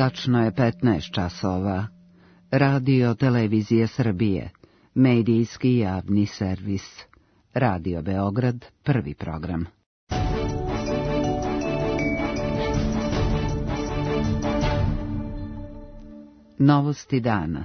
Tačno je 15 časova. Radio Televizije Srbije, medijski javni servis. Radio Beograd, prvi program. Novosti dana.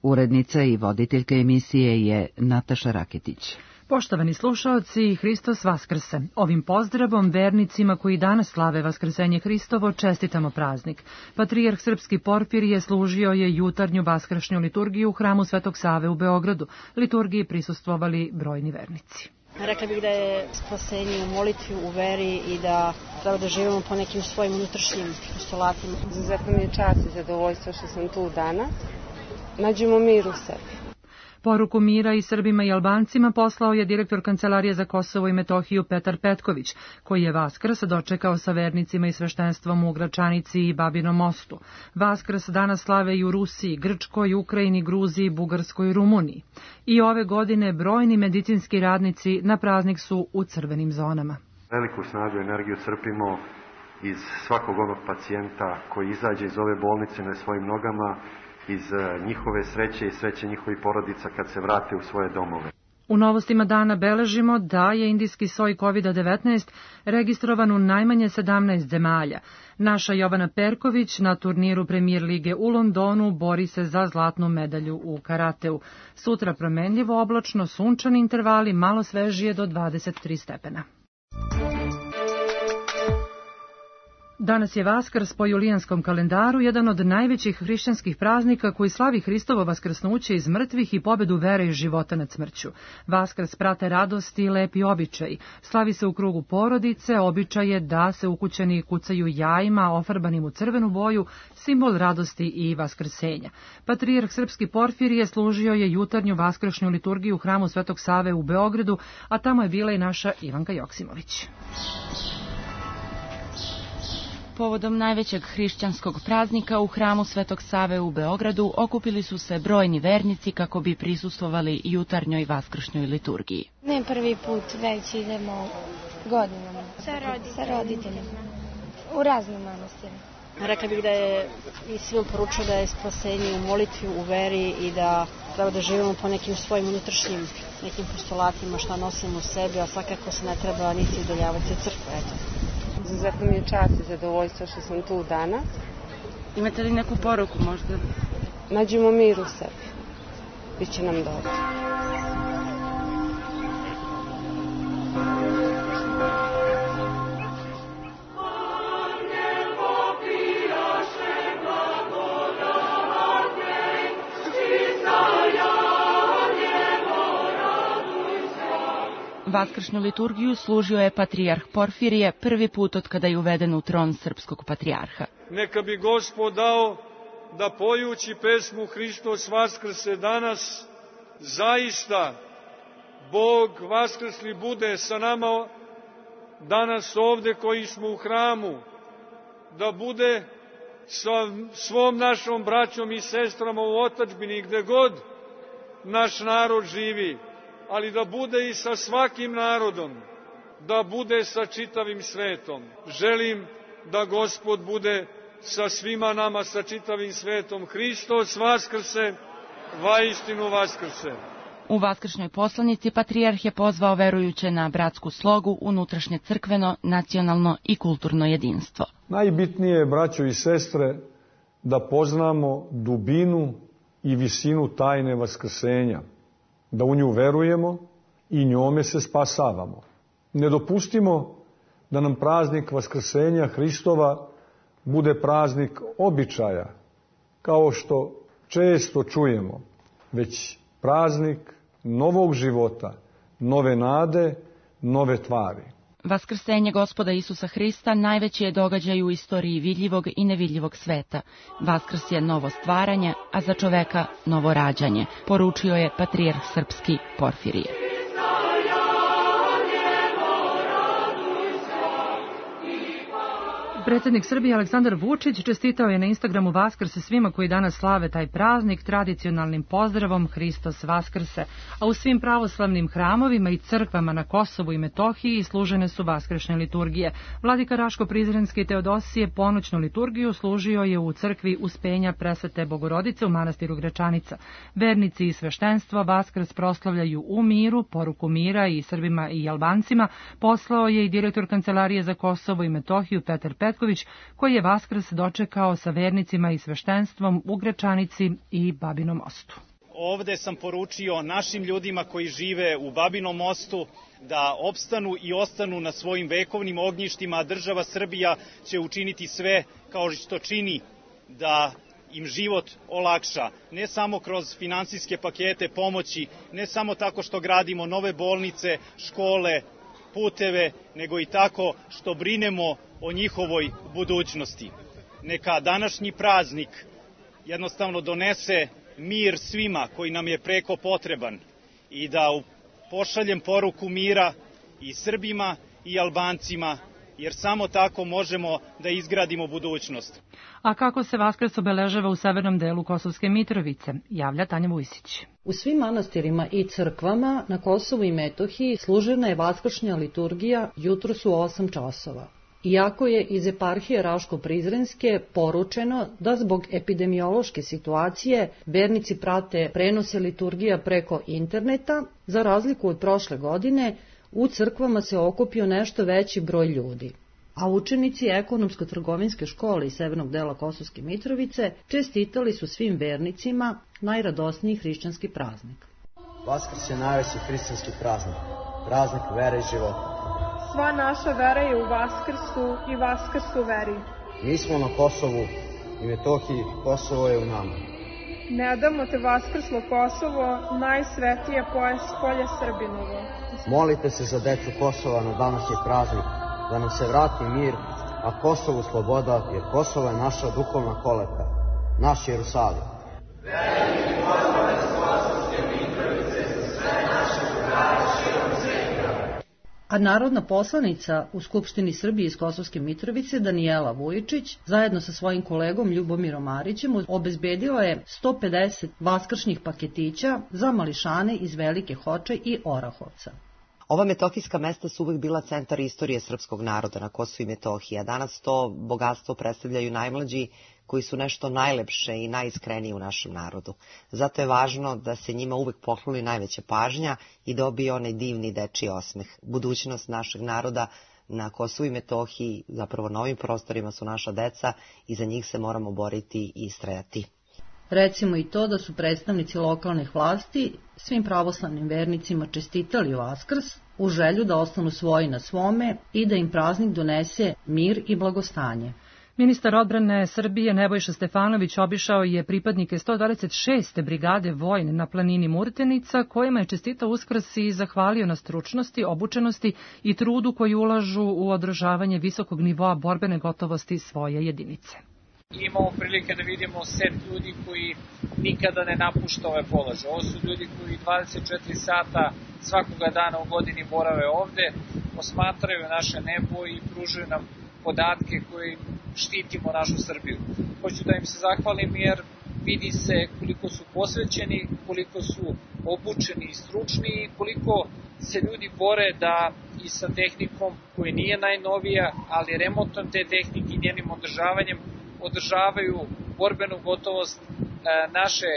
Urednica i voditeljka emisije je Nataša Raketić. Poštovani slušaoci, Hristos Vaskrse. Ovim pozdravom vernicima koji danas slave Vaskrsenje Hristovo čestitamo praznik. Patrijarh Srpski Porfirije služio je jutarnju vaskršnju liturgiju u hramu Svetog Save u Beogradu. Liturgiji prisustvovali brojni vernici. Rekla bih da je spasenje u molitvi, u veri i da treba da živimo po nekim svojim unutrašnjim postulatima. Izuzetno mi je čast i zadovoljstvo što sam tu danas. Nađemo mir u sebi. Poruku mira i Srbima i Albancima poslao je direktor Kancelarije za Kosovo i Metohiju Petar Petković, koji je Vaskrs dočekao sa vernicima i sveštenstvom u Gračanici i Babinom Mostu. Vaskrs danas slave i u Rusiji, Grčkoj, Ukrajini, Gruziji, Bugarskoj i Rumuniji. I ove godine brojni medicinski radnici na praznik su u crvenim zonama. Veliku snagu i energiju crpimo iz svakog onog pacijenta koji izađe iz ove bolnice na svojim nogama, iz njihove sreće i sreće njihovih porodica kad se vrate u svoje domove. U novostima dana beležimo da je indijski soj COVID-19 registrovan u najmanje 17 zemalja. Naša Jovana Perković na turniru Premier lige u Londonu bori se za zlatnu medalju u karateu. Sutra promenljivo oblačno, sunčani intervali, malo svežije do 23 stepena. Danas je Vaskrs po julijanskom kalendaru jedan od najvećih hrišćanskih praznika koji slavi Hristovo vaskrsnuće iz mrtvih i pobedu vere i života nad smrću. Vaskrs prate radosti i lepi običaji. Slavi se u krugu porodice, običaj je da se ukućani kucaju jajima ofarbanim u crvenu boju, simbol radosti i vaskrsenja. Patrijarh Srpski Porfirije služio je jutarnju vaskršnju liturgiju u hramu Svetog Save u Beogradu, a tamo je bila i naša Ivanka Joksimović. Povodom najvećeg hrišćanskog praznika u hramu Svetog Save u Beogradu okupili su se brojni vernici kako bi prisustvovali jutarnjoj vaskršnjoj liturgiji. Ne prvi put, već idemo godinama sa roditeljima u raznim manastirima. Rekla bih da je i svim poručio da je spasenje u molitvi, u veri i da treba da živimo po nekim svojim unutrašnjim nekim postulatima što nosimo u sebi, a svakako se ne treba niti udaljavati od crkve. Eto. Izuzetno mi je čast i zadovoljstvo što sam tu danas. Imate li neku poruku možda? Nađemo mir u sebi. Biće nam dobro. Vaskršnju liturgiju služio je Patrijarh Porfirije prvi put od kada je uveden u tron srpskog patrijarha. Neka bi Gospod dao da pojući pesmu Hristos Vaskrse danas, zaista Bog Vaskrsli bude sa nama danas ovde koji smo u hramu, da bude sa svom našom braćom i sestrama u otadžbini gde god naš narod živi, ali da bude i sa svakim narodom, da bude sa čitavim svetom. Želim da Gospod bude sa svima nama, sa čitavim svetom. Hristos Vaskrse, vaistinu Vaskrse. U vaskršnjoj poslanici Patrijarh je pozvao verujuće na bratsku slogu, unutrašnje crkveno, nacionalno i kulturno jedinstvo. Najbitnije je, braćo i sestre, da poznamo dubinu i visinu tajne vaskrsenja, da u nju verujemo i njome se spasavamo. Ne dopustimo da nam praznik Vaskrsenja Hristova bude praznik običaja, kao što često čujemo, već praznik novog života, nove nade, nove tvari. Vaskrsenje Gospoda Isusa Hrista najveći je događaj u istoriji vidljivog i nevidljivog sveta. Vaskrs je novo stvaranje, a za čoveka novo rađanje, poručio je Patrijarh Srpski Porfirije. Predsjednik Srbije Aleksandar Vučić čestitao je na Instagramu Vaskrse svima koji danas slave taj praznik tradicionalnim pozdravom Hristos Vaskrse, a u svim pravoslavnim hramovima i crkvama na Kosovu i Metohiji služene su vaskršnje liturgije. Vladika Raško Prizrenski Teodosije ponoćnu liturgiju služio je u crkvi Uspenja Presvete Bogorodice u manastiru Gračanica. Vernici i sveštenstvo Vaskrs proslavljaju u miru, poruku mira i Srbima i Albancima poslao je i direktor Kancelarije za Kosovo i Metohiju Petar Petković, koji je Vaskrs dočekao sa vernicima i sveštenstvom u Gračanici i Babinom Mostu. Ovde sam poručio našim ljudima koji žive u Babinom Mostu da opstanu i ostanu na svojim vekovnim ognjištima, a država Srbija će učiniti sve kao što čini da im život olakša, ne samo kroz finansijske pakete pomoći, ne samo tako što gradimo nove bolnice, škole, puteve, nego i tako što brinemo o njihovoj budućnosti. Neka današnji praznik jednostavno donese mir svima koji nam je preko potreban i da pošaljem poruku mira i Srbima i Albancima, jer samo tako možemo da izgradimo budućnost. A kako se Vaskrs obeležava u severnom delu Kosovske Mitrovice, javlja Tanja Vujsić. U svim manastirima i crkvama na Kosovu i Metohiji služena je vaskršnja liturgija jutros u 8 časova. Iako je iz eparhije Raško-Prizrenske poručeno da zbog epidemiološke situacije vernici prate prenose liturgija preko interneta, za razliku od prošle godine, u crkvama se okupio nešto veći broj ljudi. A učenici ekonomsko-trgovinske škole iz severnog dela Kosovske Mitrovice čestitali su svim vernicima najradosniji hrišćanski praznik. Vaskrs je najveći hrišćanski praznik, praznik vere i života. Sva naša vera je u Vaskrsu i Vaskrs u veri. Mi smo na Kosovu i Metohiji, Kosovo je u nama. Ne damo te Vaskrslo Kosovo, najsvetije polje Srbinovo. Molite se za decu Kosova na današnji praznik, da nam se vrati mir, a Kosovu sloboda, jer Kosovo je naša duhovna kolevka, naš Jerusalim. Veliki pozdrav iz Kosovske Mitrovice za sve naše drugare širom sveta. A narodna poslanica u Skupštini Srbije iz Kosovske Mitrovice Danijela Vujičić zajedno sa svojim kolegom Ljubomirom Marićem obezbedila je 150 vaskršnjih paketića za mališane iz Velike Hoče i Orahovca. Ova metohijska mesta su uvek bila centar istorije srpskog naroda na Kosovu i Metohiji, a danas to bogatstvo predstavljaju najmlađi koji su nešto najlepše i najiskrenije u našem narodu. Zato je važno da se njima uvek pokloni najveća pažnja i dobije onaj divni dečiji osmeh. Budućnost našeg naroda na Kosovu i Metohiji, zapravo na ovim prostorima, su naša deca i za njih se moramo boriti i istrajati. Recimo i to da su predstavnici lokalnih vlasti svim pravoslavnim vernicima čestitali Vaskrs u želju da ostanu svoji na svome i da im praznik donese mir i blagostanje. Ministar odbrane Srbije Nebojša Stefanović obišao je pripadnike 126. brigade vojne na planini Murtenica, kojima je čestitao Uskrs i zahvalio na stručnosti, obučenosti i trudu koji ulažu u održavanje visokog nivoa borbene gotovosti svoje jedinice. Imamo prilike da vidimo set ljudi koji nikada ne napušta ove položaje. Ovo su ljudi koji 24 sata svakoga dana u godini borave ovde, osmatraju naše nebo i pružaju nam podatke koji štitimo našu Srbiju. Hoću da im se zahvalim jer vidi se koliko su posvećeni, koliko su obučeni i stručni i koliko se ljudi bore da i sa tehnikom koji nije najnovija, ali remontom te tehnike i njenim održavanjem održavaju borbenu gotovost naše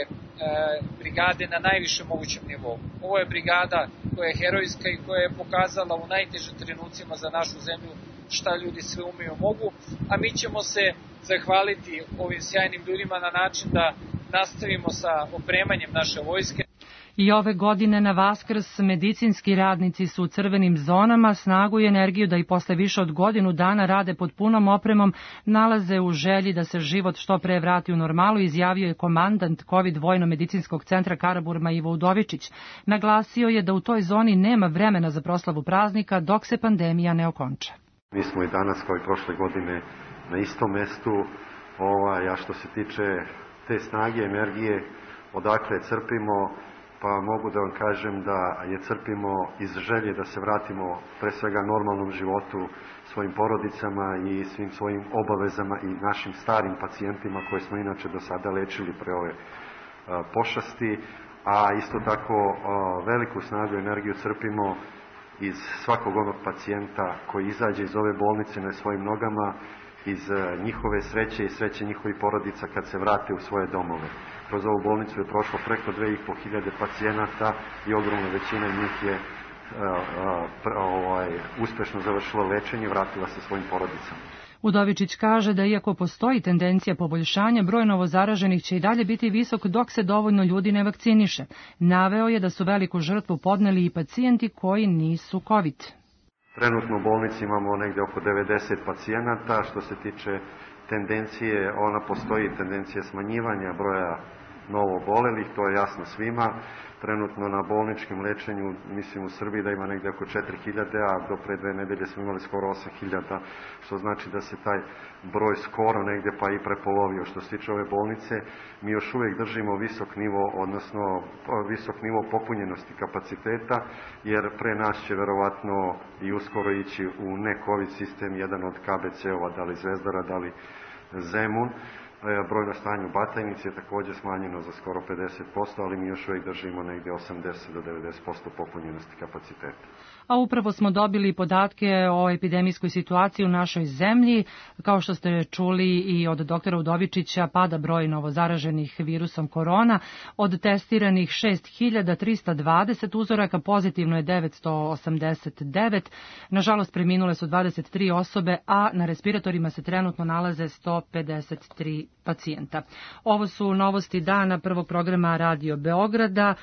brigade na najvišem mogućem nivou. Ovo je brigada koja je herojska i koja je pokazala u najtežim trenucima za našu zemlju šta ljudi sve umeju mogu, a mi ćemo se zahvaliti ovim sjajnim ljudima na način da nastavimo sa opremanjem naše vojske. I ove godine na Vaskrs medicinski radnici su u crvenim zonama, snagu i energiju da i posle više od godinu dana rade pod punom opremom, nalaze u želji da se život što pre vrati u normalu, izjavio je komandant COVID vojno-medicinskog centra Karaburma Ivo Udovičić. Naglasio je da u toj zoni nema vremena za proslavu praznika dok se pandemija ne okonča. Mi smo i danas kao i prošle godine na istom mestu, a što se tiče te snage, energije, odakle crpimo, pa mogu da vam kažem da je crpimo iz želje da se vratimo pre svega normalnom životu, svojim porodicama i svim svojim obavezama i našim starim pacijentima koje smo inače do sada lečili pre ove pošasti, a isto tako veliku snagu i energiju crpimo iz svakog onog pacijenta koji izađe iz ove bolnice na svojim nogama, iz njihove sreće i sreće njihovih porodica kad se vrate u svoje domove. Kroz ovu bolnicu je prošlo preko 2500 pacijenata i ogromna većina njih je uspešno završila lečenje i vratila se svojim porodicama. Udovičić kaže da iako postoji tendencija poboljšanja, broj novozaraženih će i dalje biti visok dok se dovoljno ljudi ne vakciniše. Naveo je da su veliku žrtvu podneli i pacijenti koji nisu COVID. Trenutno u bolnici imamo negde oko 90 pacijenata. Što se tiče tendencije, ona postoji tendencija smanjivanja broja novo obolelih, to je jasno svima. Trenutno na bolničkim lečenju, mislim u Srbiji da ima negde oko 4000, a do pre 2 nedelje smo imali skoro 8000, što znači da se taj broj skoro negde pa i prepolovio. Što se tiče ove bolnice, mi još uvijek držimo visok nivo, odnosno visok nivo popunjenosti kapaciteta, jer pre nas će verovatno i uskoro ići u ne-COVID sistem jedan od KBC-ova, da li Zvezdara, da li Zemun. Broj na stanju u Batajnici je također smanjeno za skoro 50%, ali mi još uvijek držimo negdje 80 do 90% popunjenosti kapaciteta. A upravo smo dobili podatke o epidemijskoj situaciji u našoj zemlji. Kao što ste čuli i od doktora Udovičića, pada broj novozaraženih virusom korona. Od testiranih 6320 uzoraka pozitivno je 989. Nažalost, preminule su 23 osobe, a na respiratorima se trenutno nalaze 153 pacijenta. Ovo su novosti dana prvog programa Radio Beograda.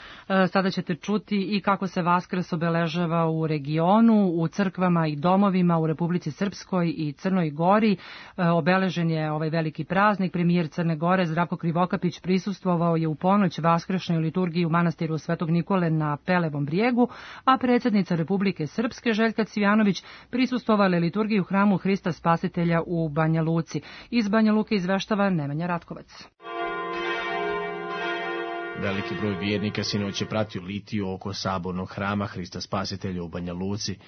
Sada ćete čuti i kako se Vaskrs obeležava u regionu, u crkvama i domovima u Republici Srpskoj i Crnoj Gori. Obeležen je ovaj veliki praznik. Premijer Crne Gore Zdravko Krivokapić prisustvovao je u ponoć vaskršnjoj liturgiji u manastiru Svetog Nikole na Pelevom brijegu, a predsjednica Republike Srpske Željka Cvijanović prisustvovala je liturgiji u hramu Hrista Spasitelja u Banja Luci. Iz Banja Luke izveštava Nemanja Ratkovac. Veliki broj vjernika sinoć je pratio litiju oko sabornog hrama Hrista Spasitelja u Banja Luci.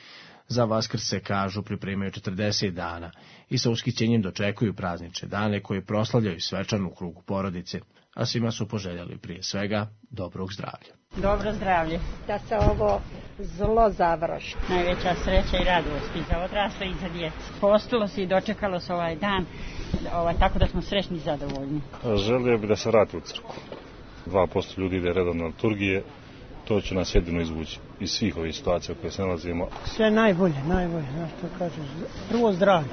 Za Vaskrs se, kažu, pripremaju 40 dana i sa ushićenjem dočekuju praznične dane koje proslavljaju svečano u krugu porodice, a svima su poželjeli prije svega dobrog zdravlja. Dobro zdravlje, da se ovo zlo završi. Najveća sreća i radost i za odrasle i za djecu. Postilo se i dočekalo se ovaj dan, tako da smo srećni i zadovoljni. Želio bi da se vrati u crkvu. 2% ljudi ide redovno na liturgije, to će nas jedino izvući iz svih ovih situacija koje se nalazimo. Sve najbolje, znaš što kažeš. Prvo zdravlje,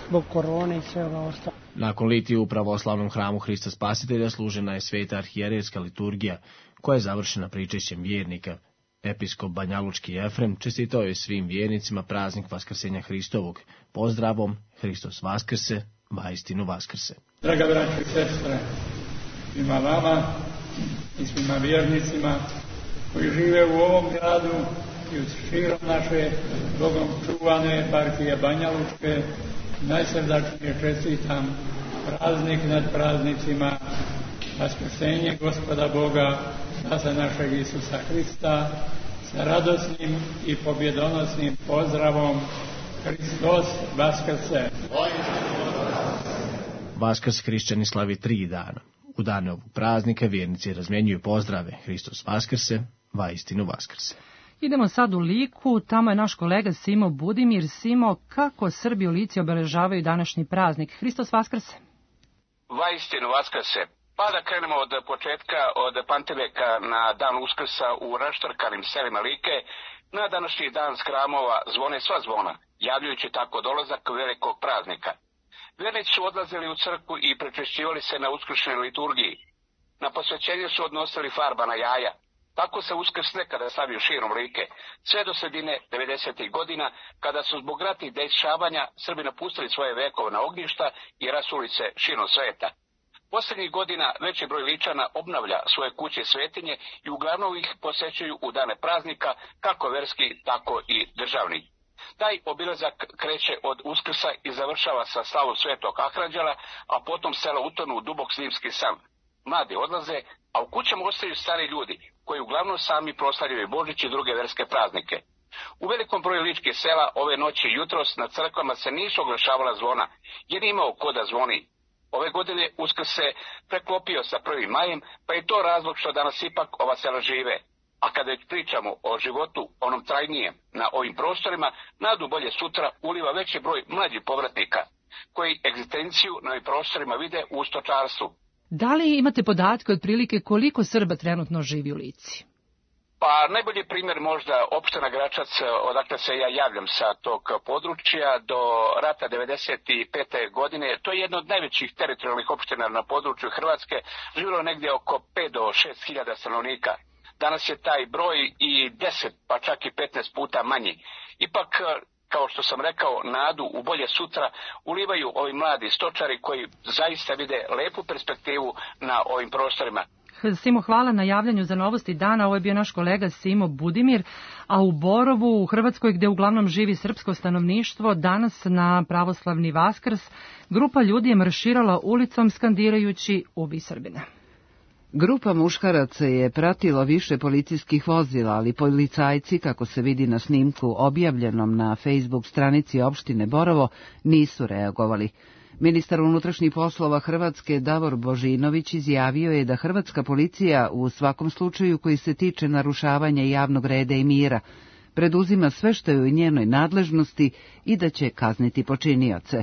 zbog korone i sve ovo ostalo. Nakon litije u pravoslavnom hramu Hrista Spasitelja služena je sveta arhijerejska liturgija, koja je završena pričešćem vjernika. Episkop banjalučki Efrem čestitao je svim vjernicima praznik Vaskrsenja Hristovog. Pozdravom, Hristos Vaskrse, vaistinu Vaskrse. Draga braćo i sestre, svima vama i svima vjernicima koji žive u ovom gradu i u širom naše Bogom čuvane eparhije Banjalučke, najsrdačnije čestitam praznik nad praznicima, Vaskrsenje Gospoda Boga, Spasa našeg Isusa Hrista, sa radosnim i pobjedonosnim pozdravom Hristos Vaskrse. Vaskrs hrišćani slavi 3 dana. U dane ovog praznika vjernici razmjenjuju pozdrave Hristos Vaskrse, vaistinu Vaskrse. Idemo sad u Liku, tamo je naš kolega Simo Budimir. Simo, kako Srbi u Lici obeležavaju današnji praznik? Hristos Vaskrse. Vaistinu Vaskrse. Pa da krenemo od početka, od Panteveka na dan Uskrsa u raštrkanim selima Like. Na današnji dan s hramova zvone sva zvona, javljajući tako dolazak velikog praznika. Vjernici su odlazili u crkvu i prečešćivali se na uskršnjoj liturgiji. Na posvećenje su odnosili farbana jaja. Tako se Uskrs nekada slavio širom Like, sve do sredine 90. godina, kada su zbog ratnih dešavanja Srbi napustili svoje vekovna ognjišta i rasuli se širom sveta. Posljednjih godina veći broj Ličana obnavlja svoje kuće svetinje i uglavnom ih posećuju u dane praznika, kako verski, tako i državni. Taj obilazak kreće od Uskrsa i završava sa slavom Svetog Ahranđela, a potom selo utonu u dubok zimski san. Mladi odlaze, a u kućama ostaju stari ljudi, koji uglavnom sami proslavljaju Božić i druge verske praznike. U velikom broju ličkih sela ove noći i jutros na crkvama se nisu oglašavala zvona, jer je imao ko da zvoni. Ove godine Uskrs se preklopio sa 1. majem, pa je to razlog što danas ipak ova sela žive. A kada već pričamo o životu, onom trajnijem, na ovim prostorima, nadu bolje sutra uliva veći broj mlađih povratnika, koji egzistenciju na ovim prostorima vide u stočarstvu. Da li imate podatke otprilike koliko Srba trenutno živi u Lici? Pa najbolji primjer možda opština Gračac, odakle se ja javljam sa tog područja, do rata 1995. godine. To je jedna od najvećih teritorijalnih opština na području Hrvatske, živjelo negdje oko 5 do 6 hiljada stanovnika. Danas je taj broj i 10, pa čak i 15 puta manji. Ipak, kao što sam rekao, nadu u bolje sutra ulivaju ovi mladi stočari koji zaista vide lepu perspektivu na ovim prostorima. Simo, hvala na javljanju za Novosti dana. Ovo je bio naš kolega Simo Budimir, a u Borovu, u Hrvatskoj, gde uglavnom živi srpsko stanovništvo, danas na pravoslavni Vaskrs grupa ljudi je marširala ulicom skandirajući "Ubij Srbina". Grupa muškaraca je pratila više policijskih vozila, ali policajci, kako se vidi na snimku objavljenom na Facebook stranici opštine Borovo, nisu reagovali. Ministar unutrašnjih poslova Hrvatske Davor Božinović izjavio je da hrvatska policija u svakom slučaju koji se tiče narušavanja javnog reda i mira preduzima sve što je u njenoj nadležnosti i da će kazniti počinioce.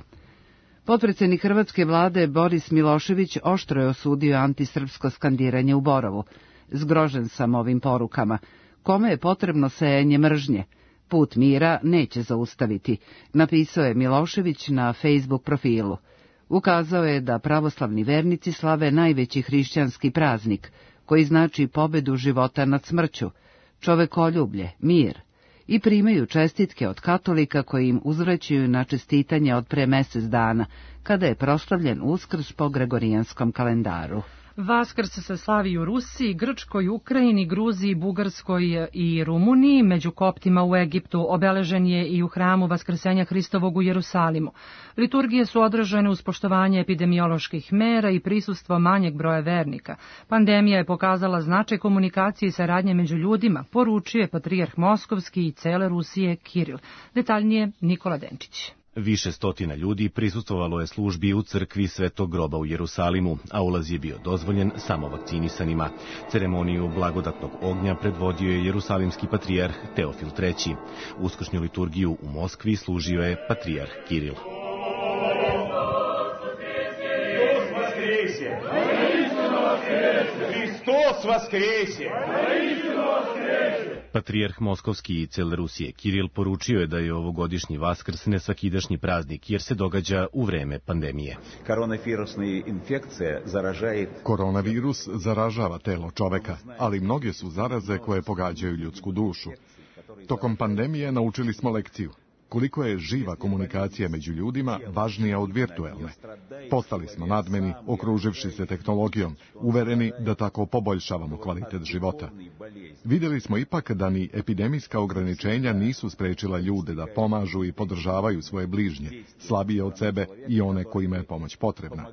Potpredsednik hrvatske vlade Boris Milošević oštro je osudio antisrpsko skandiranje u Borovu. Zgrožen sam ovim porukama. Kome je potrebno sejanje mržnje? Put mira neće zaustaviti, napisao je Milošević na Facebook profilu. Ukazao je da pravoslavni vernici slave najveći hrišćanski praznik, koji znači pobedu života nad smrću, čovekoljublje, mir, i primaju čestitke od katolika koji im uzvraćaju na čestitanje od pre mesec dana, kada je proslavljen Uskrs po Gregorijanskom kalendaru. Vaskrs se slavi u Rusiji, Grčkoj, Ukrajini, Gruziji, Bugarskoj i Rumuniji. Među koptima u Egiptu obeležen je i u hramu Vaskrsenja Hristovog u Jerusalimu. Liturgije su održane uz poštovanje epidemioloških mera i prisustvo manjeg broja vernika. Pandemija je pokazala značaj komunikacije i saradnje među ljudima, poručio je patrijarh Moskovski i cele Rusije Kiril. Detaljnije Nikola Denčić. Više stotina ljudi prisustvovalo je službi u crkvi Svetog groba u Jerusalimu, a ulaz je bio dozvoljen samo vakcinisanima. Ceremoniju blagodatnog ognja predvodio je jerusalimski patrijarh Teofil III. Uskršnju liturgiju u Moskvi služio je patrijarh Kiril. Hristos vaskrese! Patrijarh Moskovski i cele Rusije Kiril poručio je da je ovogodišnji Vaskrs nesvakidašnji praznik jer se događa u vreme pandemije. Koronavirus zaražava telo čoveka, ali mnoge su zaraze koje pogađaju ljudsku dušu. Tokom pandemije naučili smo lekciju. Koliko je živa komunikacija među ljudima važnija od virtuelne. Postali smo nadmeni, okruživši se tehnologijom, uvereni da tako poboljšavamo kvalitet života. Vidjeli smo ipak da ni epidemijska ograničenja nisu sprečila ljude da pomažu i podržavaju svoje bližnje, slabije od sebe i one kojima je pomoć potrebna.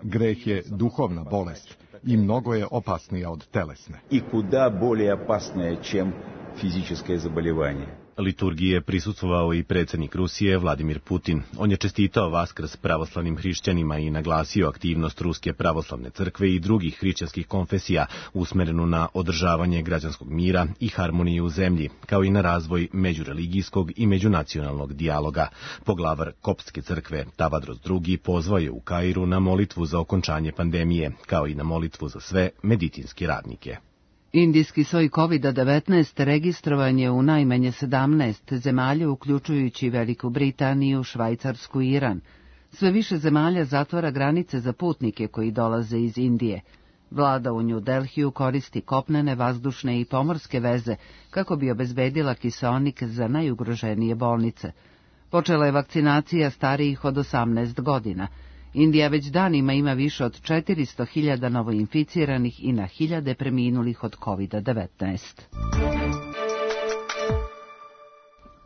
Greh je duhovna bolest i mnogo je opasnija od telesne. I kuda bolje opasnije čem fizičko zaboljevanje. Liturgiji je prisustvovao i predsjednik Rusije Vladimir Putin. On je čestitao Vaskrs pravoslavnim hrišćanima i naglasio aktivnost Ruske pravoslavne crkve i drugih hrišćanskih konfesija usmerenu na održavanje građanskog mira i harmonije u zemlji, kao i na razvoj međureligijskog i međunacionalnog dijaloga. Poglavar Koptske crkve Tavadros II pozvao je u Kairu na molitvu za okončanje pandemije, kao i na molitvu za sve medicinske radnike. Indijski soj COVID-19 registrovan je u najmanje 17 zemalja, uključujući Veliku Britaniju, Švajcarsku i Iran. Sve više zemalja zatvara granice za putnike koji dolaze iz Indije. Vlada u New Delhiju koristi kopnene, vazdušne i pomorske veze kako bi obezbedila kiseonik za najugroženije bolnice. Počela je vakcinacija starijih od 18 godina. Indija već danima ima više od 400.000 novoinficiranih i na hiljade preminulih od COVID-19.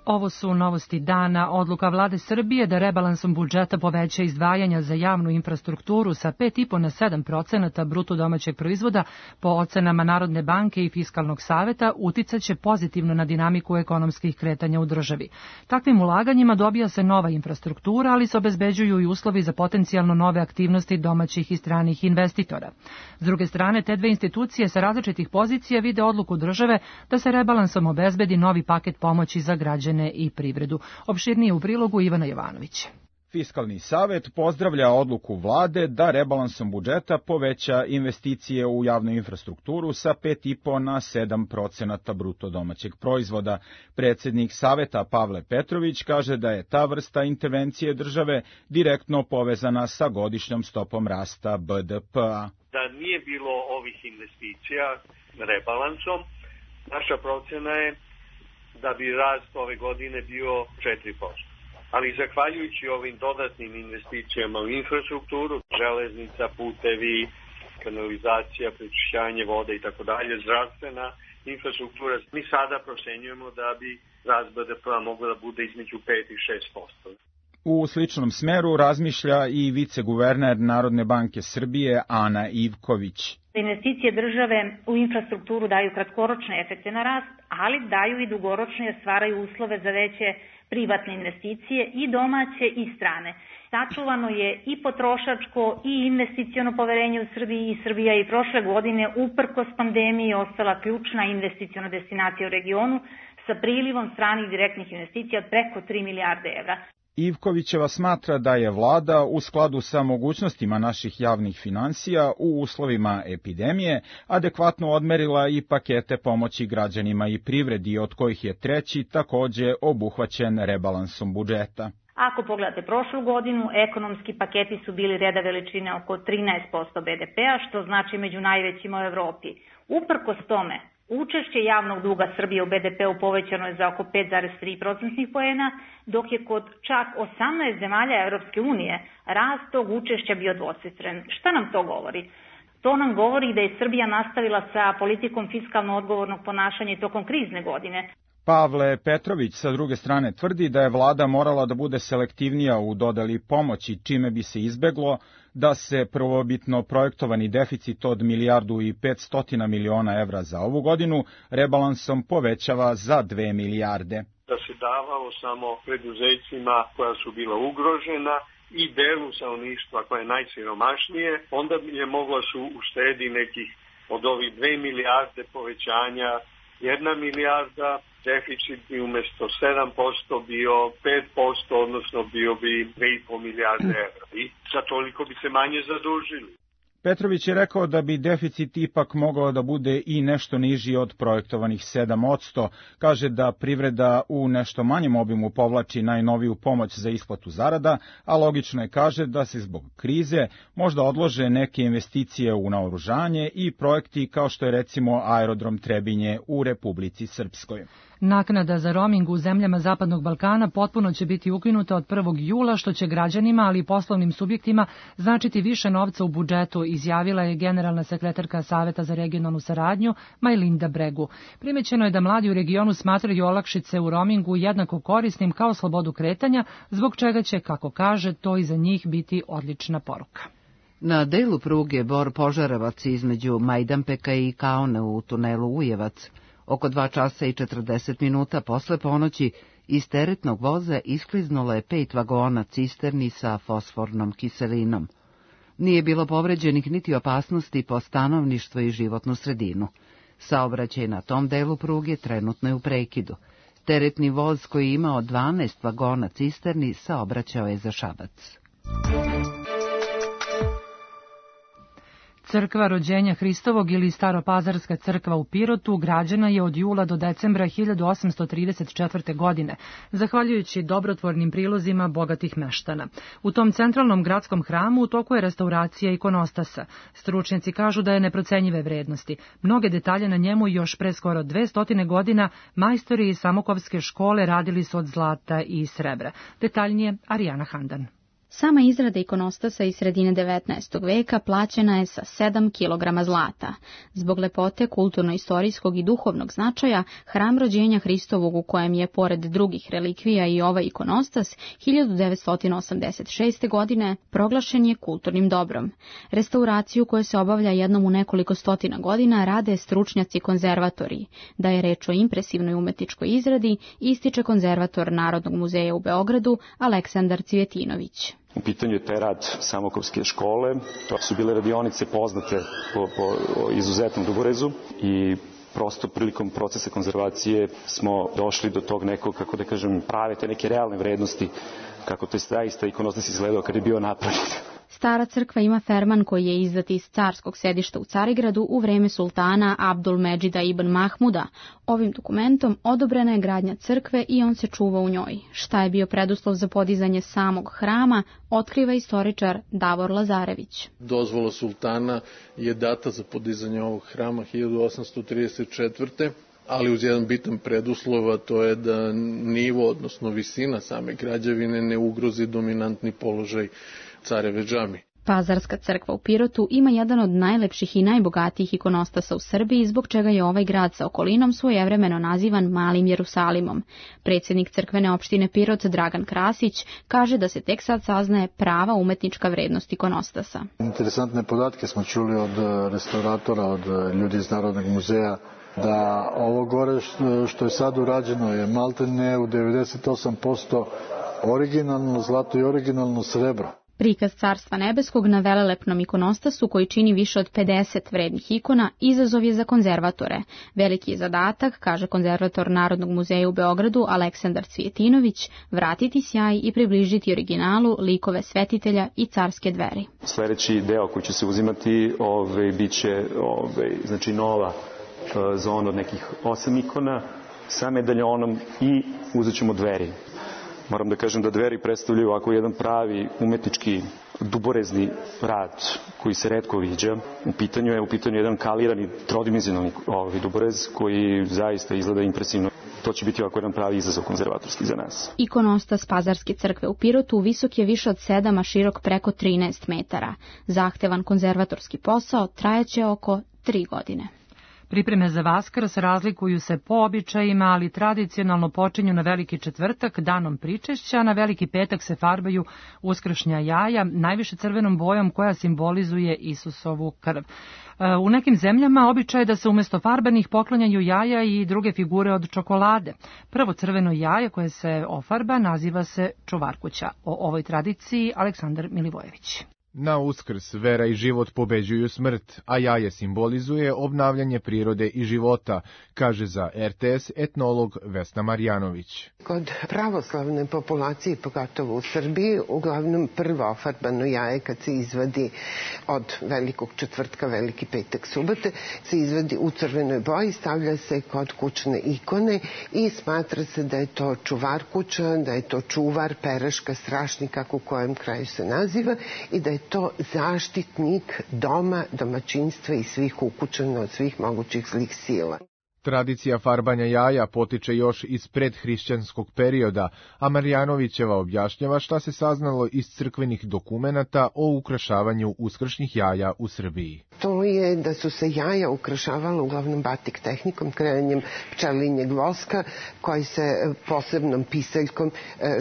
Ovo su novosti dana. Odluka vlade Srbije da rebalansom budžeta poveća izdvajanja za javnu infrastrukturu sa 5,5 na 7% bruto domaćeg proizvoda po ocenama Narodne banke i Fiskalnog saveta uticaće pozitivno na dinamiku ekonomskih kretanja u državi. Takvim ulaganjima dobija se nova infrastruktura, ali se obezbeđuju i uslovi za potencijalno nove aktivnosti domaćih i stranih investitora. S druge strane, te dve institucije sa različitih pozicija vide odluku države da se rebalansom obezbedi novi paket pomoći za građane i privredu. Opširnije u prilogu Ivana Jovanović. Fiskalni savet pozdravlja odluku vlade da rebalansom budžeta poveća investicije u javnu infrastrukturu sa 5,5 na 7% bruto domaćeg proizvoda. Predsjednik saveta Pavle Petrović kaže da je ta vrsta intervencije države direktno povezana sa godišnjom stopom rasta BDP-a. Da nije bilo ovih investicija rebalansom, naša procena je da bi rast ove godine bio 4%. Ali zahvaljujući ovim dodatnim investicijama u infrastrukturu, železnica, putevi, kanalizacija, prečišćavanje vode i tako dalje, zdravstvena infrastruktura, mi sada procenjujemo da bi rast BDP-a mogla da bude između 5 i 6%. U sličnom smeru razmišlja i viceguverner Narodne banke Srbije Ana Ivković. Investicije države u infrastrukturu daju kratkoročne efekte na rast, ali daju i dugoročne jer stvaraju uslove za veće privatne investicije i domaće i strane. Sačuvano je i potrošačko i investiciono poverenje u Srbiji i Srbija i prošle godine uprkos pandemiji ostala ključna investiciona destinacija u regionu sa prilivom stranih direktnih investicija od preko 3 milijarde evra. Ivkovićeva smatra da je vlada u skladu sa mogućnostima naših javnih finansija u uslovima epidemije adekvatno odmerila i pakete pomoći građanima i privredi, od kojih je treći takođe obuhvaćen rebalansom budžeta. Ako pogledate prošlu godinu, ekonomski paketi su bili reda veličine oko 13% BDP-a, što znači među najvećima u Evropi. Uprkos tome, učešće javnog duga Srbije u BDP-u povećano je za oko 5,3% poena, dok je kod čak 18 zemalja Evropske unije rast tog učešća bio dvocifren. Šta nam to govori? To nam govori da je Srbija nastavila sa politikom fiskalno odgovornog ponašanja i tokom krizne godine. Pavle Petrović sa druge strane tvrdi da je vlada morala da bude selektivnija u dodeli pomoći, čime bi se izbeglo da se prvobitno projektovani deficit od 1,5 milijardi evra za ovu godinu rebalansom povećava za 2 milijarde. Da se davalo samo preduzećima koja su bila ugrožena i delu stanovništva koja je najsiromašnije, onda je mogla su uštedi nekih od ovih 2 milijarde povećanja 1 milijarda, deficit bi umjesto 7% bio 5%, odnosno bio bi 2,5 milijarde evra. I za toliko bi se manje zadužili. Petrović je rekao da bi deficit ipak mogao da bude i nešto niži od projektovanih 7%. Kaže da privreda u nešto manjem obimu povlači najnoviju pomoć za isplatu zarada, a logično je, kaže, da se zbog krize možda odlože neke investicije u naoružanje i projekti kao što je recimo aerodrom Trebinje u Republici Srpskoj. Naknada za roaming u zemljama Zapadnog Balkana potpuno će biti ukinuta od 1. jula, što će građanima, ali i poslovnim subjektima značiti više novca u budžetu, izjavila je generalna sekretarka Saveta za regionalnu saradnju Majlinda Bregu. Primećeno je da mladi u regionu smatraju olakšice u roamingu jednako korisnim kao slobodu kretanja, zbog čega će, kako kaže, to i za njih biti odlična poruka. Na delu pruge Bor-Požarevac između Majdanpeka i Kaone u tunelu Ujevac, oko 2 časa i 40 minuta posle ponoći iz teretnog voza iskliznulo je 5 vagona cisterni sa fosfornom kiselinom. Nije bilo povređenih niti opasnosti po stanovništvo i životnu sredinu. Saobraćaj na tom delu pruge trenutno je u prekidu. Teretni voz koji je imao 12 vagona cisterni saobraćao je za Šabac. Crkva rođenja Hristovog ili Staropazarska crkva u Pirotu građena je od jula do decembra 1834. godine, zahvaljujući dobrotvornim prilozima bogatih meštana. U tom centralnom gradskom hramu u toku je restauracija ikonostasa. Stručnjaci kažu da je neprocenjive vrednosti. Mnoge detalje na njemu još pre skoro 200 godina majstori iz Samokovske škole radili su od zlata i srebra. Detaljnije Arijana Handan. Sama izrada ikonostasa iz sredine 19. veka plaćena je sa 7 kg zlata. Zbog lepote kulturno-istorijskog i duhovnog značaja, hram rođenja Hristovog u kojem je, pored drugih relikvija i ovaj ikonostas, 1986. godine proglašen je kulturnim dobrom. Restauraciju koja se obavlja jednom u nekoliko stotina godina rade stručnjaci konzervatori. Da je reč o impresivnoj umetničkoj izradi, ističe konzervator Narodnog muzeja u Beogradu Aleksandar Cvjetinović. U pitanju je taj rad Samokovske škole. To su bile radionice poznate po izuzetnom duborezu i prosto prilikom procesa konzervacije smo došli do tog nekog, kako da kažem, prave te neke realne vrednosti, kako to je zaista ikonostas izgledao kad je bio napravljen. Stara crkva ima ferman koji je izdat iz carskog sedišta u Carigradu u vreme sultana Abdulmedžida ibn Mahmuda. Ovim dokumentom odobrena je gradnja crkve i on se čuva u njoj. Šta je bio preduslov za podizanje samog hrama, otkriva istoričar Davor Lazarević. Dozvola sultana je data za podizanje ovog hrama 1834. ali uz jedan bitan preduslov, a to je da nivo, odnosno visina same građevine ne ugrozi dominantni položaj careve džamije. Pazarska crkva u Pirotu ima jedan od najlepših i najbogatijih ikonostasa u Srbiji, zbog čega je ovaj grad sa okolinom svojevremeno nazivan Malim Jerusalimom. Predsjednik crkvene opštine Pirot Dragan Krasić kaže da se tek sad saznaje prava umetnička vrednost ikonostasa. Interesantne podatke smo čuli od restauratora, od ljudi iz Narodnog muzeja, da ovo gore što je sad urađeno je maltene u 98% originalno zlato i originalno srebro. Prikaz Carstva nebeskog na velelepnom ikonostasu, koji čini više od 50 vrednih ikona, izazov je za konzervatore. Veliki je zadatak, kaže konzervator Narodnog muzeja u Beogradu Aleksandar Cvjetinović, vratiti sjaj i približiti originalu likove svetitelja i carske dveri. Sljedeći deo koji će se uzimati biće znači nova zona od nekih 8 ikona sa medaljonom i uzet ćemo dveri. Moram da kažem da dveri predstavljaju ovako jedan pravi umetnički duborezni rad koji se retko viđa. U pitanju je jedan kalirani trodimenzionalni duborez koji zaista izgleda impresivno. To će biti ovako jedan pravi izazov konzervatorski za nas. Ikonostas Pazarske crkve u Pirotu visok je više od 7, a širok preko 13 metara. Zahtevan konzervatorski posao trajaće oko 3 godine. Pripreme za Vaskrs razlikuju se po običajima, ali tradicionalno počinju na Veliki četvrtak, danom pričešća, na Veliki petak se farbaju uskršnja jaja, najviše crvenom bojom koja simbolizuje Isusovu krv. U nekim zemljama običaj je da se umjesto farbanih poklanjaju jaja i druge figure od čokolade. Prvo crveno jaje koje se ofarba naziva se čuvarkuća. O ovoj tradiciji Aleksandar Milivojević. Na Uskrs vera i život pobeđuju smrt, a jaje simbolizuje obnavljanje prirode i života, kaže za RTS etnolog Vesna Marjanović. Kod pravoslavne populacije, pogotovo u Srbiji, uglavnom prvo ofarbano jaje kad se izvadi od Velikog četvrtka, Veliki petak, subote, se izvadi u crvenoj boji, stavlja se kod kućne ikone i smatra se da je to čuvar kuća, da je to čuvar, peraška, strašnik, kako u kojem kraju se naziva, i da je to zaštitnik doma, domaćinstva i svih ukućana od svih mogućih zlih sila. Tradicija farbanja jaja potiče još iz predhrišćanskog perioda, a Marjanovićeva objašnjava šta se saznalo iz crkvenih dokumenata o ukrašavanju uskršnjih jaja u Srbiji. To je da su se jaja ukrašavala uglavnom batik tehnikom, kreanjem pčelinjeg voska, koji se posebnom pisaljkom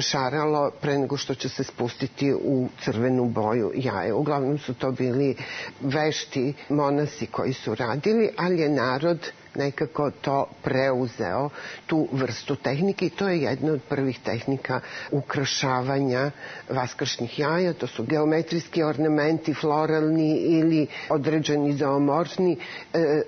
šaralo pre nego što će se spustiti u crvenu boju jaje. Uglavnom su to bili vešti monasi koji su radili, ali je narod nekako to preuzeo, tu vrstu tehnike, i to je jedna od prvih tehnika ukrašavanja vaskršnjih jaja. To su geometrijski ornamenti, floralni ili određeni zoomorfni,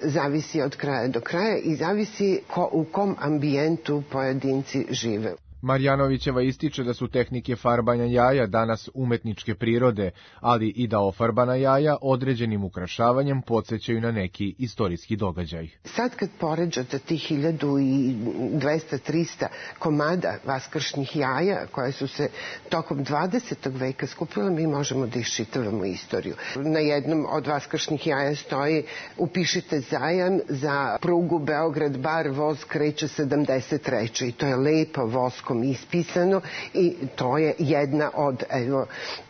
zavisi od kraja do kraja i zavisi u kom ambijentu pojedinci žive. Marjanovićeva ističe da su tehnike farbanja jaja danas umetničke prirode, ali i da ofarbana jaja određenim ukrašavanjem podsjećaju na neki istorijski događaj. Sad kad poređate tih 1200-300 komada vaskršnjih jaja koje su se tokom 20. veka skupile, mi možemo da iščitavamo istoriju. Na jednom od vaskršnjih jaja stoji: upišite zajam za prugu Beograd-Bar, voz kreće 73. I to je lepo vosko engleskom ispisano i to je jedna od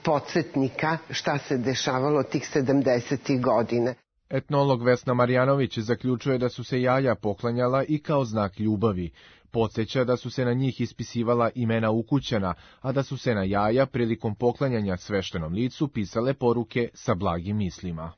podsjetnika šta se dešavalo tih 70. godina. Etnolog Vesna Marjanović zaključuje da su se jaja poklanjala i kao znak ljubavi. Podsjeća da su se na njih ispisivala imena ukućana, a da su se na jaja prilikom poklanjanja sveštenom licu pisale poruke sa blagim mislima.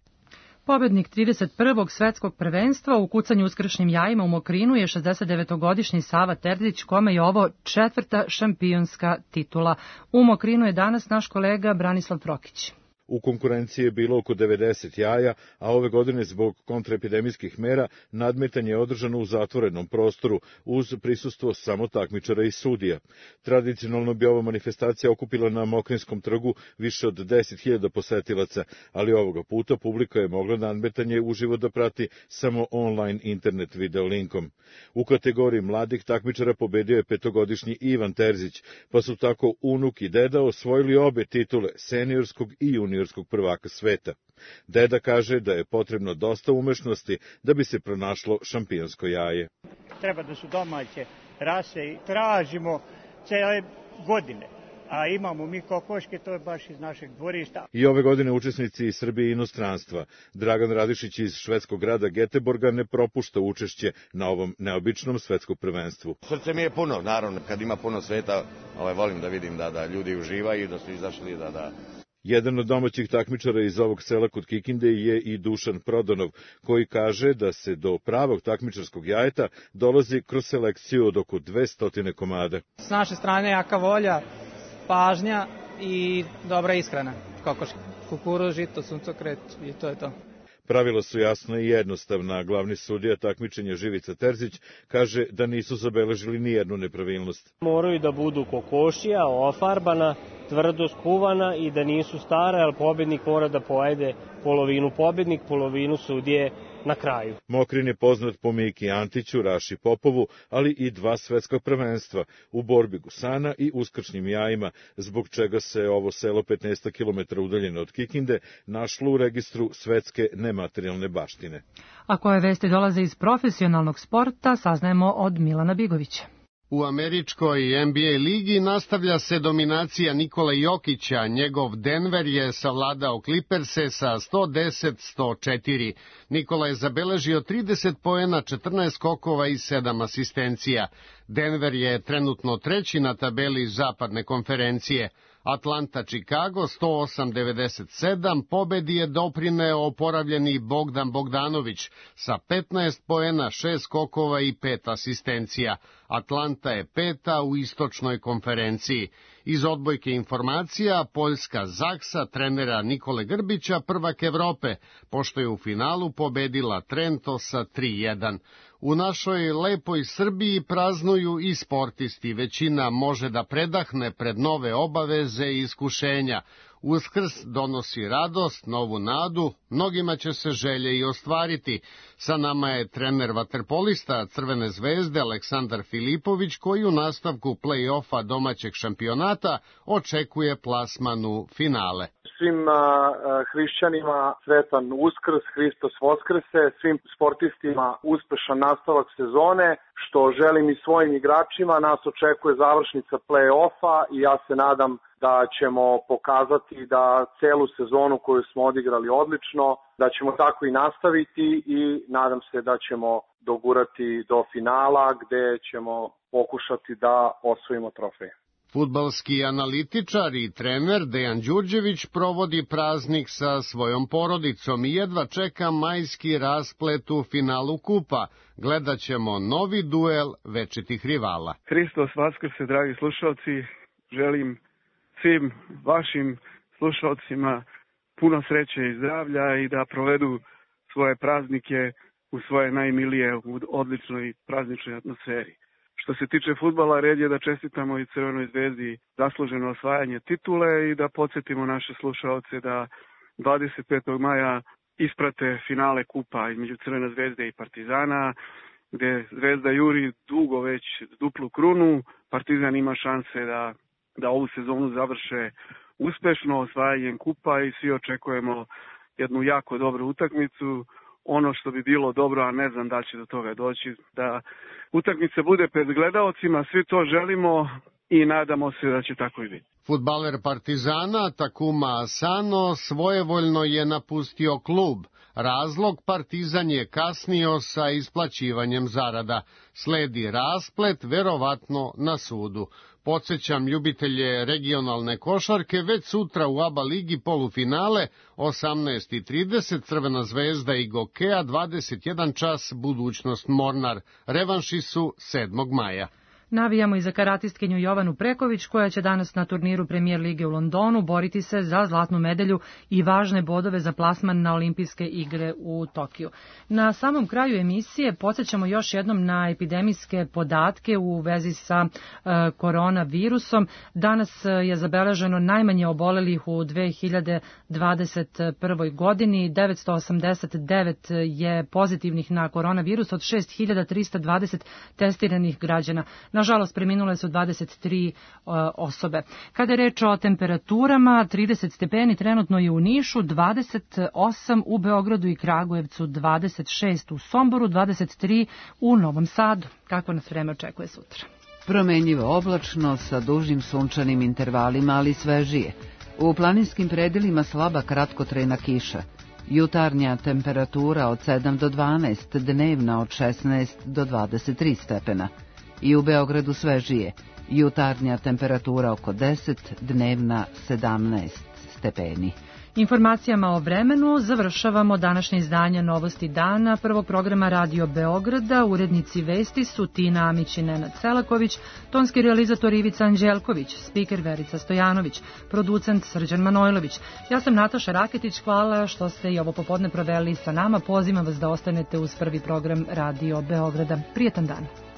Pobednik 31. svetskog prvenstva u kucanju uskršnjim jajima u Mokrinu je 69-godišnji Sava Terzić, kome je ovo 4. šampionska titula. U Mokrinu je danas naš kolega Branislav Prokić. U konkurenciji je bilo oko 90 jaja, a ove godine zbog kontraepidemijskih mera nadmetanje je održano u zatvorenom prostoru uz prisustvo samo takmičara i sudija. Tradicionalno bi ova manifestacija okupila na Mokrinskom trgu više od 10.000 posetilaca, ali ovoga puta publika je mogla nadmetanje uživo da prati samo online internet video linkom. U kategoriji mladih takmičara pobedio je 5-godišnji Ivan Terzić, pa su tako unuk i deda osvojili obe titule seniorskog i juniorskog prvaka sveta. Deda kaže da je potrebno dosta umešnosti da bi se pronašlo šampionsko jaje. Treba da su domaće rase i tražimo cele godine. A imamo mi kokoške, to je baš iz našeg dvorišta. I ove godine učesnici iz Srbije i inostranstva. Dragan Radišić iz švedskog grada Geteborga ne propušta učešće na ovom neobičnom svetskom prvenstvu. Srce mi je puno, naravno, kad ima puno sveta, volim da vidim da ljudi uživaju, da su izašli, da... Jedan od domaćih takmičara iz ovog sela kod Kikinde je i Dušan Prodonov, koji kaže da se do pravog takmičarskog jajeta dolazi kroz selekciju od oko 200 komada. S naše strane jaka volja, pažnja i dobra ishrana. Kokoške, kukuruz, žito, suncokret i to je to. Pravila su jasna i jednostavna. Glavni sudija takmičenja Živica Terzić kaže da nisu zabeležili ni jednu nepravilnost. Moraju da budu kokošija, ofarbana, tvrdo skuvana i da nisu stara, jer pobednik mora da pojede polovinu pobednik, polovinu sudije na kraju. Mokrin je poznat po Miki Antiću, Raši Popovu, ali i 2 svetska prvenstva u borbi gusana i uskršnjim jajima, zbog čega se ovo selo 15 km udaljeno od Kikinde našlo u registru svetske nematerijalne baštine. A koje vesti dolaze iz profesionalnog sporta, saznajemo od Milana Bigovića. U američkoj NBA ligi nastavlja se dominacija Nikole Jokića. Njegov Denver je savladao Clippers-e sa 110-104. Nikola je zabeležio 30 poena, 14 skokova i 7 asistencija. Denver je trenutno 3. na tabeli zapadne konferencije. Atlanta-Chicago 108-97, pobedi je doprineo oporavljeni Bogdan Bogdanović sa 15 poena, 6 skokova i 5 asistencija. Atlanta je 5. u istočnoj konferenciji. Iz odbojke informacija, Poljska Zaksa trenera Nikole Grbića, prvak Evrope, pošto je u finalu pobedila Trento sa 3-1. U našoj lepoj Srbiji praznuju i sportisti. Većina može da predahne pred nove obaveze i iskušenja. Uskrs donosi radost, novu nadu, mnogima će se želje i ostvariti. Sa nama je trener vaterpolista Crvene zvezde Aleksandar Filipović, koji u nastavku play-offa domaćeg šampionata očekuje plasman u finale. Svim hrišćanima sretan Uskrs, Hristos Voskrese, svim sportistima uspešan nastavak sezone, što želim i svojim igračima. Nas očekuje završnica play-offa i ja se nadam da ćemo pokazati da celu sezonu koju smo odigrali odlično, da ćemo tako i nastaviti i nadam se da ćemo dogurati do finala gde ćemo pokušati da osvojimo trofej. Fudbalski analitičar i trener Dejan Đurđević provodi praznik sa svojom porodicom i jedva čeka majski rasplet u finalu kupa. Gledat ćemo novi duel večitih rivala. Hristos Vaskrse, dragi slušalci, želim svim vašim slušalcima puno sreće i zdravlja i da provedu svoje praznike u svoje najmilije u odličnoj prazničnoj atmosferi. Što se tiče fudbala, red je da čestitamo i Crvenoj zvezdi zasluženo osvajanje titule i da podsjetimo naše slušaoce da 25. maja isprate finale kupa između Crvene zvezde i Partizana, gde Zvezda juri dugo već duplu krunu. Partizan ima šanse da ovu sezonu završe uspešno osvajanjem kupa i svi očekujemo jednu jako dobru utakmicu. ono što bi bilo dobro, a ne znam da će do toga doći, da utakmica bude pred gledaocima, svi to želimo i nadamo se da će tako i biti. Fudbaler Partizana Takuma Asano svojevoljno je napustio klub. Razlog, Partizan je kasnio sa isplaćivanjem zarada. Sledi rasplet, verovatno na sudu. Podsjećam ljubitelje regionalne košarke, već sutra u ABA ligi polufinale 18:30 Crvena zvezda i Gokea, 21 čas budućnost Mornar. Revanši su 7. maja. Navijamo i za karatistkinju Jovanu Preković, koja će danas na turniru Premier lige u Londonu boriti se za zlatnu medalju i važne bodove za plasman na olimpijske igre u Tokiju. Na samom kraju emisije podsjećamo još jednom na epidemijske podatke u vezi sa koronavirusom. Danas je zabeleženo najmanje obolelih u 2021. godini. 989 je pozitivnih na koronavirus od 6320 testiranih građana. Nažalost, preminule su 23 osobe. Kada je reč o temperaturama, 30 stepeni trenutno je u Nišu, 28 u Beogradu i Kragujevcu, 26 u Somboru, 23 u Novom Sadu. Kako nas vreme očekuje sutra? Promenjivo oblačno sa dužim sunčanim intervalima, ali svežije. U planinskim predelima slaba kratkotrajna kiša. Jutarnja temperatura od 7 do 12, dnevna od 16 do 23 stepena. I u Beogradu svežije, jutarnja temperatura oko 10, dnevna 17 stepeni. Informacijama o vremenu završavamo današnje izdanje Novosti dana prvog programa Radio Beograda. Urednici vesti su Tina Amić i Nenad Selaković, tonski realizator Ivica Anđelković, spiker Verica Stojanović, producent Srđan Manojlović. Ja sam Nataša Raketić, hvala što ste i ovo popodne proveli sa nama. Pozivam vas da ostanete uz prvi program Radio Beograda. Prijetan dan.